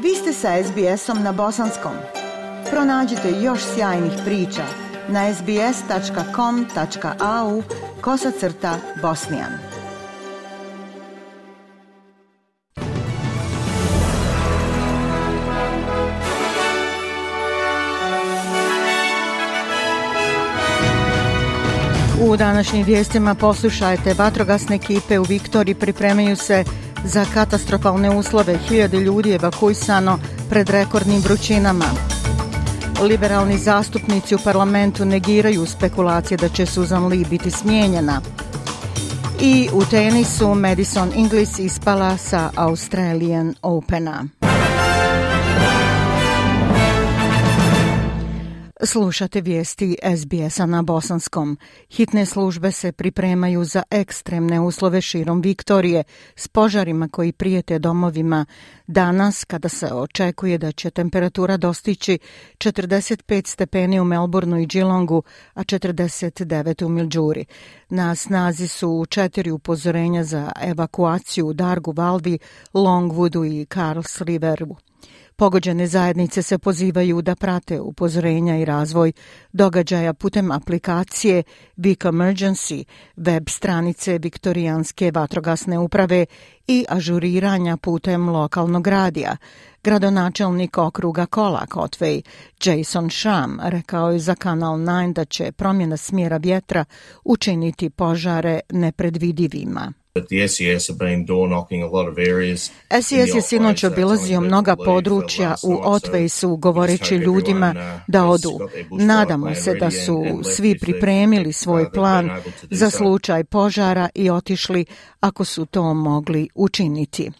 Vi ste sa SBS-om na bosanskom. Pronađite još sjajnih priča na sbs.com.au/bosnian. U današnjim vijestima poslušajte, vatrogasne ekipe u Viktoriji pripremaju se za katastrofalne uslove, 1000 ljudi je evakuisano pred rekordnim vrućinama. Liberalni zastupnici u parlamentu negiraju spekulacije da će Susan Lee biti smijenjena. I u tenisu Madison Inglis ispala sa Australian Opena. Slušate vijesti SBS-a na bosanskom. Hitne službe se pripremaju za ekstremne uslove širom Viktorije s požarima koji prijete domovima danas kada se očekuje da će temperatura dostići 45 stepeni u Melbourneu i Geelongu, a 49 u Mildžuri. Na snazi su 4 upozorenja za evakuaciju u Dargu, Valvi, Longwoodu i Carls Riveru. Pogođene zajednice se pozivaju da prate upozorenja i razvoj događaja putem aplikacije Vic Emergency, web stranice Viktorijanske vatrogasne uprave i ažuriranja putem lokalnog radija. Gradonačelnik okruga Colac Otway, Jason Sham, rekao je za Kanal 9 da će promjena smjera vjetra učiniti požare nepredvidivima. SES je sinoć obilazio mnoga područja u Otwaysu govoreći ljudima da odu. Nadamo se da su svi pripremili svoj plan za slučaj požara i otišli ako su to mogli učiniti.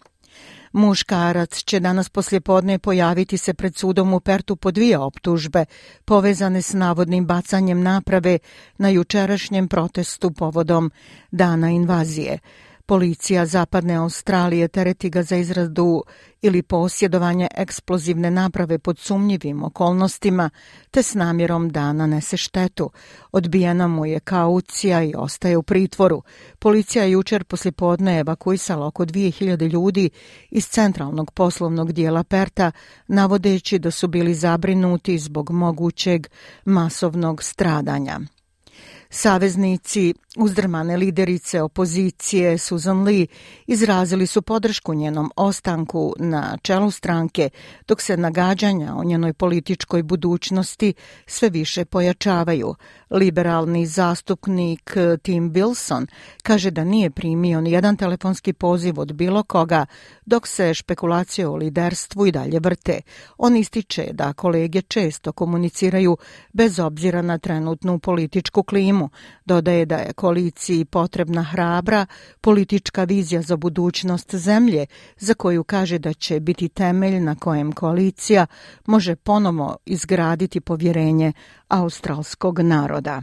Muškarac će danas poslijepodne pojaviti se pred sudom u Pertu po 2 optužbe povezane s navodnim bacanjem naprave na jučerašnjem protestu povodom Dana invazije. Policija Zapadne Australije tereti ga za izradu ili posjedovanje eksplozivne naprave pod sumnjivim okolnostima te s namjerom da nanese štetu. Odbijena mu je kaucija i ostaje u pritvoru. Policija je jučer poslijepodne evakuisala oko 2000 ljudi iz centralnog poslovnog dijela Perta, navodeći da su bili zabrinuti zbog mogućeg masovnog stradanja. Saveznici uzdrmane liderice opozicije Susan Lee izrazili su podršku njenom ostanku na čelu stranke, dok se nagađanja o njenoj političkoj budućnosti sve više pojačavaju. Liberalni zastupnik Tim Wilson kaže da nije primio ni jedan telefonski poziv od bilo koga, dok se špekulacije o liderstvu i dalje vrte. On ističe da kolege često komuniciraju bez obzira na trenutnu političku klimu. Dodaje da je koaliciji potrebna hrabra politička vizija za budućnost zemlje, za koju kaže da će biti temelj na kojem koalicija može ponovo izgraditi povjerenje australskog naroda.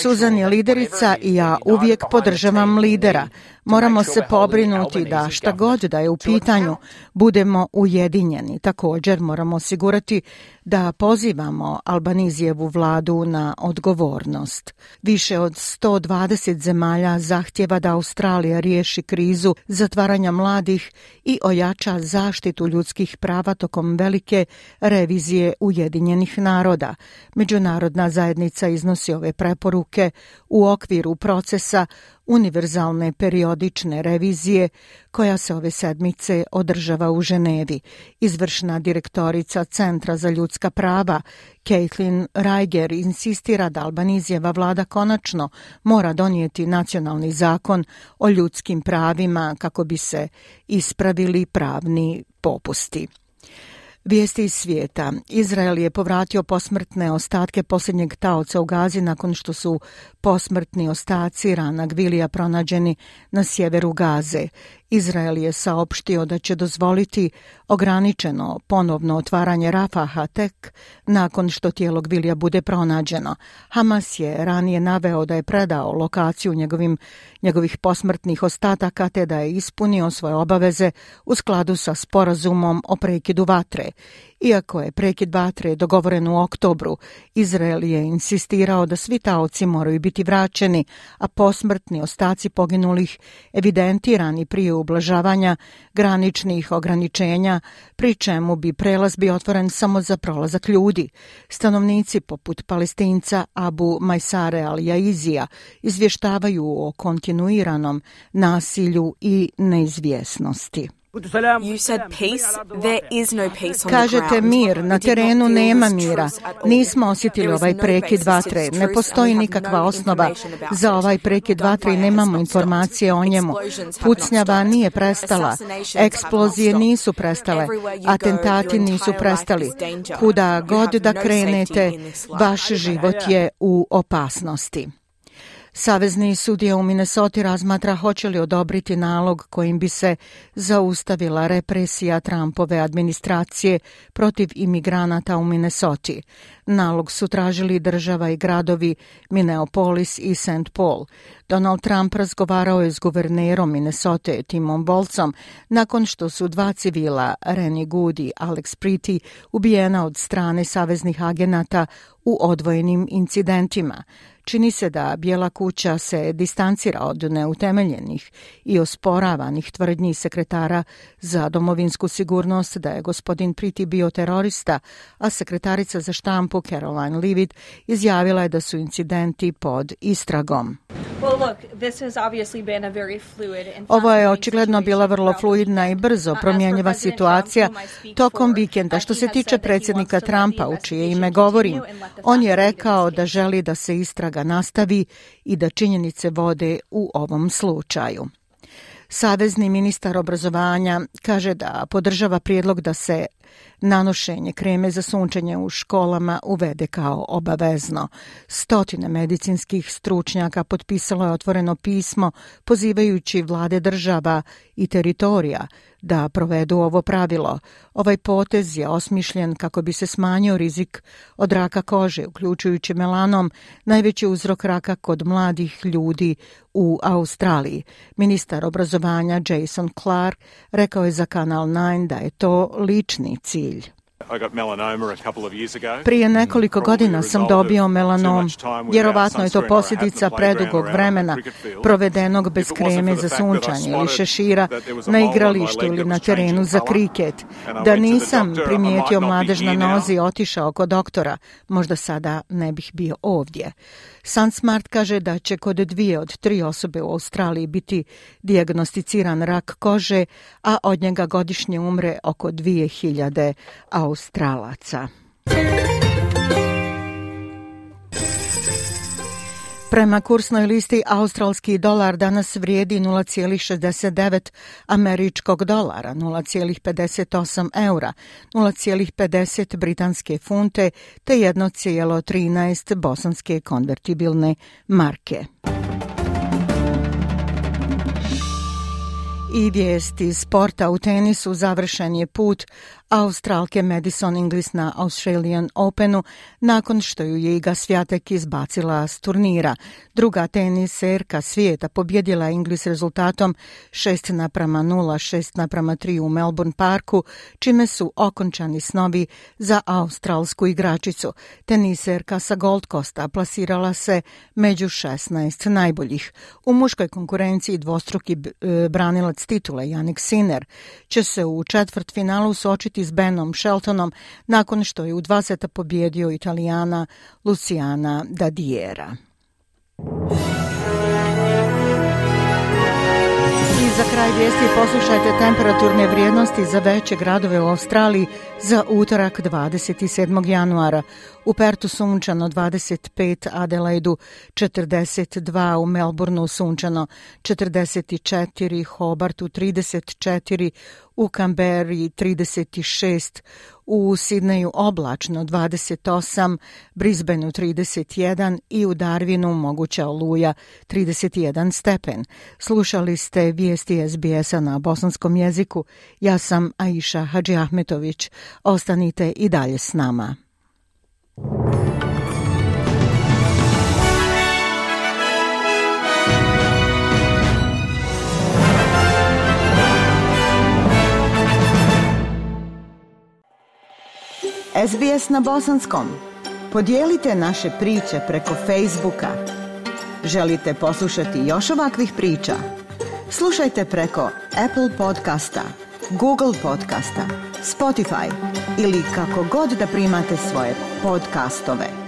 Susan je liderica i ja uvijek podržavam lidera. Moramo se pobrinuti da šta god da je u pitanju budemo ujedinjeni. Također moramo osigurati da pozivamo Albanizijevu vladu na odgovornost. Više od 120 zemalja zahtjeva da Australija riješi krizu zatvaranja mladih i ojača zaštitu ljudskih prava tokom velike revizije Ujedinjenih naroda. Međunarodna zajednica iznosi ove preporuke u okviru procesa univerzalne periodične revizije koja se ove sedmice održava u Ženevi. Izvršna direktorica Centra za ljudska prava Caitlin Reiger insistira da Albanizijeva vlada konačno mora donijeti nacionalni zakon o ljudskim pravima kako bi se ispravili pravni popusti. Vijesti iz svijeta. Izrael je povratio posmrtne ostatke posljednjeg taoca u Gazi nakon što su posmrtni ostaci Rana Gvilija pronađeni na sjeveru Gaze. Izrael je saopštio da će dozvoliti ograničeno ponovno otvaranje Rafaha tek nakon što tijelo Gvilija bude pronađeno. Hamas je ranije naveo da je predao lokaciju njegovih posmrtnih ostataka te da je ispunio svoje obaveze u skladu sa sporazumom o prekidu vatre. Iako je prekid vatre dogovoren u oktobru, Izrael je insistirao da svi taoci moraju biti vraćeni, a posmrtni ostaci poginulih evidentirani prije ublažavanja graničnih ograničenja, pri čemu bi prelaz bio otvoren samo za prolazak ljudi. Stanovnici poput Palestinca Abu Majsare al-Jaizija izvještavaju o kontinuiranom nasilju i neizvjesnosti. Kažete mir, na terenu nema mira. Nismo osjetili ovaj prekid vatre. Ne postoji nikakva osnova za ovaj prekid vatre i nemamo informacije o njemu. Pucnjava nije prestala. Eksplozije nisu prestale. Atentati nisu prestali. Kuda god da krenete, vaš život je u opasnosti. Savezni sudija u Minnesoti razmatra hoće li odobriti nalog kojim bi se zaustavila represija Trumpove administracije protiv imigranata u Minnesoti. Nalog su tražili država i gradovi Minneapolis i St. Paul. Donald Trump razgovarao je s guvernerom Minnesote Timom Wolfom nakon što su dva civila, Rennie Good i Alex Pretty, ubijena od strane saveznih agenata u odvojenim incidentima. Čini se da Bijela kuća se distancira od neutemeljenih i osporavanih tvrdnji sekretara za domovinsku sigurnost da je gospodin Pretty bio terorista, a sekretarica za štampu Caroline Leavitt izjavila je da su incidenti pod istragom. Ovo je očigledno bila vrlo fluidna i brzo promjenjiva situacija tokom vikenda. Što se tiče predsjednika Trumpa, u čije ime govorim, on je rekao da želi da se istraga nastavi i da činjenice vode u ovom slučaju. Savezni ministar obrazovanja kaže da podržava prijedlog da se nanošenje kreme za sunčanje u školama uvede kao obavezno. Stotine medicinskih stručnjaka potpisalo je otvoreno pismo pozivajući vlade država i teritorija da provedu ovo pravilo. Ovaj potez je osmišljen kako bi se smanjio rizik od raka kože, uključujući melanom, najveći uzrok raka kod mladih ljudi u Australiji. Ministar obrazovanja Jason Clark rekao je za Kanal 9 da je to lični cilj. Prije nekoliko godina sam dobio melanom. Vjerovatno je to posljedica predugog vremena provedenog bez kreme za sunčanje ili šešira na igralištu ili na terenu za kriket. Da nisam primijetio mladež na nozi i otišao kod doktora, možda sada ne bih bio ovdje. SunSmart kaže da će kod 2 od 3 osobe u Australiji biti dijagnosticiran rak kože, a od njega godišnje umre oko 2000 Australaca. Prema kursnoj listi australski dolar danas vrijedi 0,69 američkog dolara, 0,58 eura, 0,50 britanske funte te 1,13 bosanske konvertibilne marke. I vijesti sporta. U tenisu završen je put Australke Madison Inglis na Australian Openu nakon što ju je Iga Swiatek izbacila s turnira. Druga teniserka svijeta pobjedila Inglis rezultatom 6:0, 6:3 u Melbourne Parku, čime su okončani snovi za australsku igračicu. Teniserka sa Gold Coasta plasirala se među 16 najboljih. U muškoj konkurenciji dvostruki branilac titule Jannik Sinner će se u četvrtfinalu suočiti s Benom Sheltonom nakon što je u 2 seta pobjedio Italijana Luciana Dadiera. I za kraj vijesti poslušajte temperaturne vrijednosti za veće gradove u Australiji za utorak 27. januara. U Pertu sunčano 25, Adelaidu 42, u Melbourneu sunčano 44, Hobartu 34, u Canberri 36, u Sidneju oblačno 28, Brisbaneu 31 i u Darwinu moguća oluja 31 stepen. Slušali ste vijesti SBS-a na bosanskom jeziku. Ja sam Aisha Hadžiahmetović. Ostanite i dalje s nama. SBS na bosanskom. Podijelite naše priče preko Facebooka. Želite poslušati još ovakvih priča? Slušajte preko Apple podcasta, Google podcasta, Spotify ili kako god da primate svoje podcastove.